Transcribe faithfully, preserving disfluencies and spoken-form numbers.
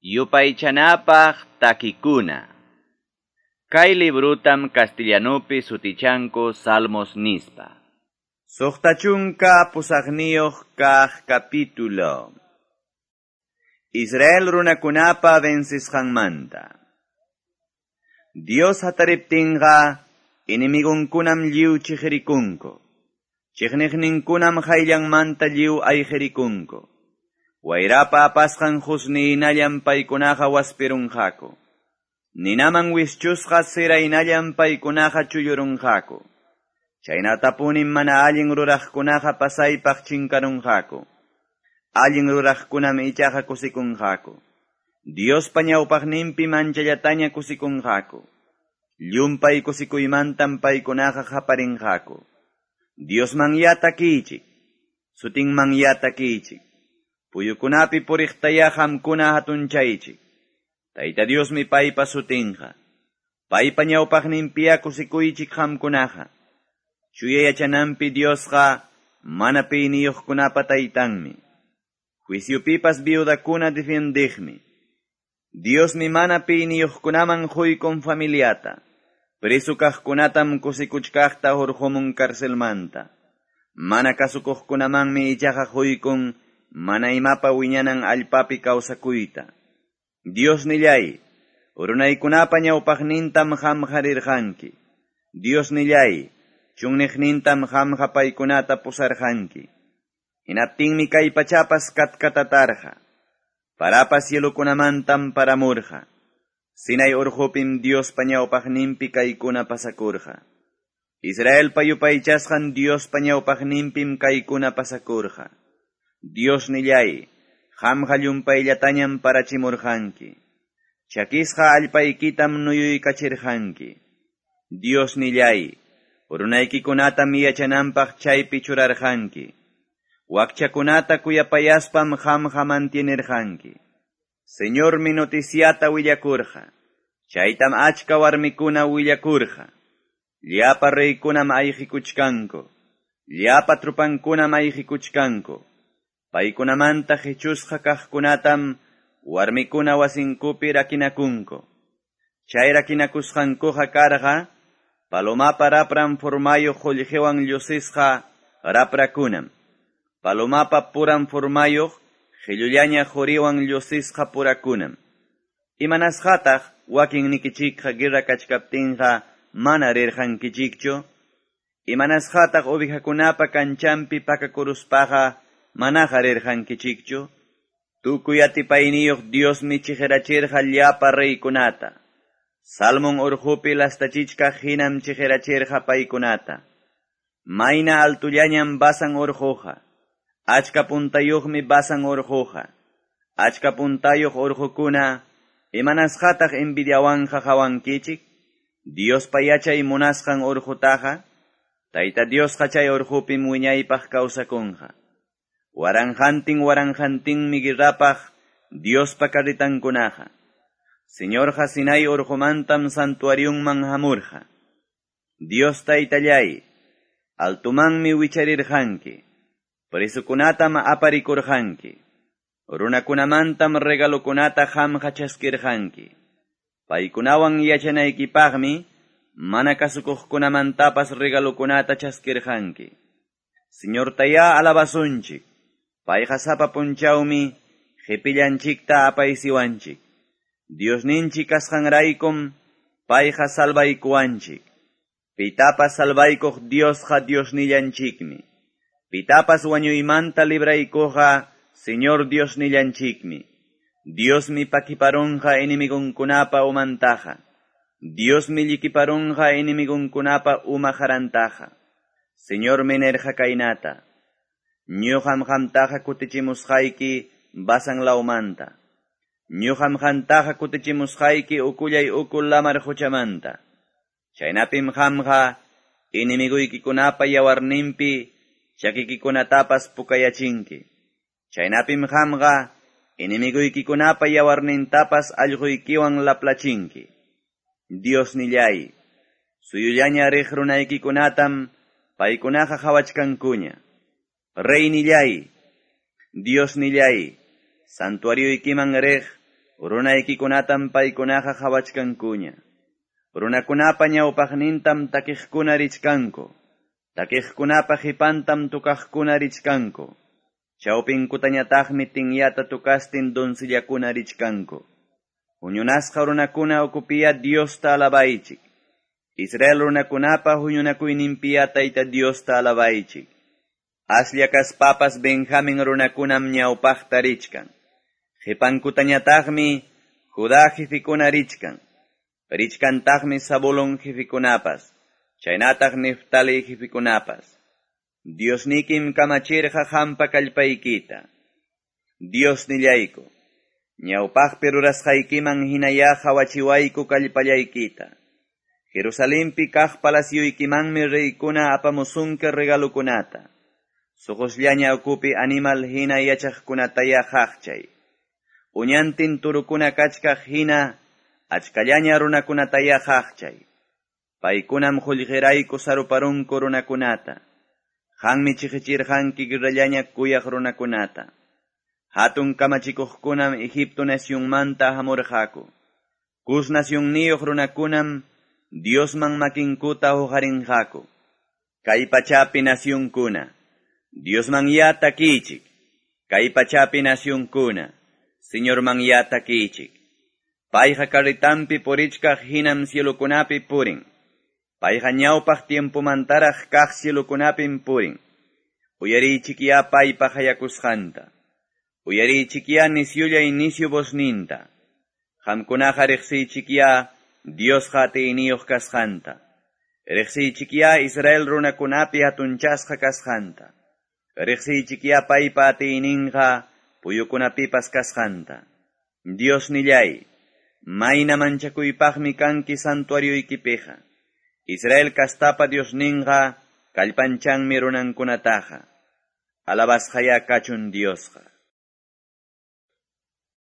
Yupaychanapaq takikuna. Kay librutam castellanupi sutichanku Salmos nispa. Suqta chunka pusaqniyuq kaq capítulo. Israel runakunapa vencisqanmanta. Dios hatariptinqa enemigunkunam lliw chiqrikunku. Chiqniqninkunam hayllanmanta lliw ayqirikunku. Wayrapa apasqan husniynallam paykunaqa waspirunqaku. Ninaman wischusqa siraynallam paykunaqa chullurunqaku. Chaynatapunim mana allin ruraqkunaqa pasaypaq chinkarunqaku. Allin ruraqkunam ichaqa kusikunqaku. Diospa ñawpaqninpi manchallataña kusikunqaku. Llumpay kusikuymantam paykunaqa qaparinqaku. Diosmanyá takiychik, sutinmanyá takiychik. Puyukunapi puriqtayá qamkuna hatunchaychik. Tayta Diosmi paypa sutinqa. Paypa ñawpaqninpiya kusikuychik qamkunaqa. Chuya yachananpi Diosqa mana piyniyuqkunapa taytanmi. Juiciopipas viudakuna defiendiqmi. Diosmi mana piyniyuqkunaman quykun familiata. Preso kaqkunatam kusikuchkaqta hurqumun carcelmanta. Mana kasukuqkunamanmi ichaqa quykun mana imapa wiñanan allpapi kawsakuyta. Dios nillay, runaykunapa ñawpaqnintam qamqa rirqanki. Dios nillay, chunniqnintam qamqa paykunata pusarqanki. Hinaptinmi kay pachapas katkatatarqa. Parapas cielukunamantam paramurqa. Sinai urqupim Diospa ñawpaqninpi kaykuna pasakurqa. Israelpa yupaychasqan Diospa ñawpaqninpim kaykuna pasakurqa. Dios nillay, qamqa llumpayllatañam parachimurqanki. Chakisqa allpaykitam nuyuykachirqanki. Dios nillay, runaykikunatam yachananpaq chaypi churarqanki. Wakchakunata kuyapayaspam qamqa mantienirqanki. Señormi noticiata willakurqa. Chaytam achka warmikuna willakurqa. Llapa reykunam ayqikuchkanku. Llapa trupankunam ayqikuchkanku. Paykunamanta qichusqa kaqkunatam warmikuna wasinkupi rakinakunku. Chay rakinakusqankuqa karqa palomapa rapran formayuq qullqiwan llusisqa raprakunam. Palomapa puran formayuq qillullaña quriwan llusisqa purakunam. Imanasqataq wakinnikichikqa guerra kachkaptinqa mana rirqankichikchu? Imanasqataq ovejakunapa kanchanpi pakakuruspaqa manaqa rirqankichikchu? Tukuy atipayniyuq Diosmi chiqirachirqa llapa reykunata. Salmón urqupi lastachichkaq hinam chiqirachirqa paykunata. Mayna altullañam Basan urquqa. Achka puntayuqmi Basan urquqa. Achka puntayuq urqukuna, imanasqataq envidiawanqa qawankichik? Diospa yachay munasqan urqutaqa, Tayta Diosqa chay urqupim wiñaypaq kawsakunqa. Waranqantin waranqantinmi guerrapaq Diospa carritankunaqa. Señorqa Sinai urqumantam santuariunman hamurqa. Dios taytallay, altumanmi wicharirqanki. Presukunatam aparikurqanki. Runakunamantam regalokunata qamqa chaskirqanki. Paykunawan yachanaykipaqmi mana kasukuqkunamantapas regalokunata chaskirqanki. Señortayá alabasunchik. Payqa sapa punchawmi qipillanchikta apaysiwanchik. Diosninchik kasqanraykum payqa salvaykuwanchik. Pitapas salvaykuq Diosqa Diosnillanchikmi. Pitapas wañuymanta libraykuqqa Señor Diosnillanchikmi. Diosmi pakiparunqa enemigunkunapa umantaqa. Diosmi llikiparunqa enemigunkunapa uma qarantaqa. Señormi nirqa kaynata. Ñuqam qamtaqa kutichimusqayki Basan lawmanta. Ñuqam qamtaqa kutichimusqayki ukullay uku lamar quchamanta. Chaynapim qamqa enemiguykikunapa yawarninpi chakikikunatapas pukayachinki. Chaynapim qamqa enemiguykikunapa yawarnintapas allquykiwan laplachinki. Dios nillay, suyullaña riq runaykikunatam paykunaqa qhawachkankuña. Rey nillay, Dios nillay, santuarioykiman riq Runaykikunatam paykunaqa qawachkankuña. Runakunapa ñawpaqnintam takiqkuna richkanku. Takiqkunapa qipantam tukaqkuna richkanku. Chawpinkutañataqmi tinyata tukastin doncellakuna richkanku. Huñunasqa runakuna ukupiya Diosta alabaychik. Israel runakunapa huñunakuyninpiya Tayta Diosta alabaychik. Aslla kaspapas Benjamin runakunam ñawpaqta richkan. Qipankutañataqmi Judá jefikuna richkan. Richkantaqmi Zabulón jefikunapas, chaynataq Neftali jefikunapas. Diosnikim kamachirqa hampa kallpaykita. Diosnillayku, ñawpaqpi rurasqaykiman hinaya qawachiwayku kallpallaykita. Jerusalempi kaq palacioykimanmi reykuna apamusunki regalukunata. Suqusllaña ukupi animal hina yachaqkunataya qaqchay. Uñantin turukuna kachkaq hina achkallaña runakunataya qaqchay. Paykunam qullqirayku saruparunku runakunata. Qanmi chiqichirqanki guerrallaña kuyaq runakunata. Hatun kamachikuqkunam Egipto nacionmanta hamurqaku. Cus nacionniyuq runakunam Diosman makinkuta huqarinqaku. Kay pachapi nacionkuna, Diosman ya takichik. Kay pachapi nacionkuna, Señorman ya takichik. Payqa carretampi purichkaq hinam cielokunapi purin. Payqa ñawpaq tiempomantaraq kaq cielokunapim purin. Uyariychikya paypa hayakusqanta. Uyariychikya nisyulla inicio vozninta. Qamkunaqa riqsiychikya Diosqa atiyniyuq kasqanta. Riqsiychikya Israel runakunapi hatunchasqa kasqanta. Riqsiychikya paypa atiyninqa puyukunapipas kasqanta. Diosnillay, mayna manchakuypaqmi kanki santuarioykipiqa. Israel kastapa Diosninqa kallpanchanmi runankunataqa. Alabasqaya kachun Diosqa.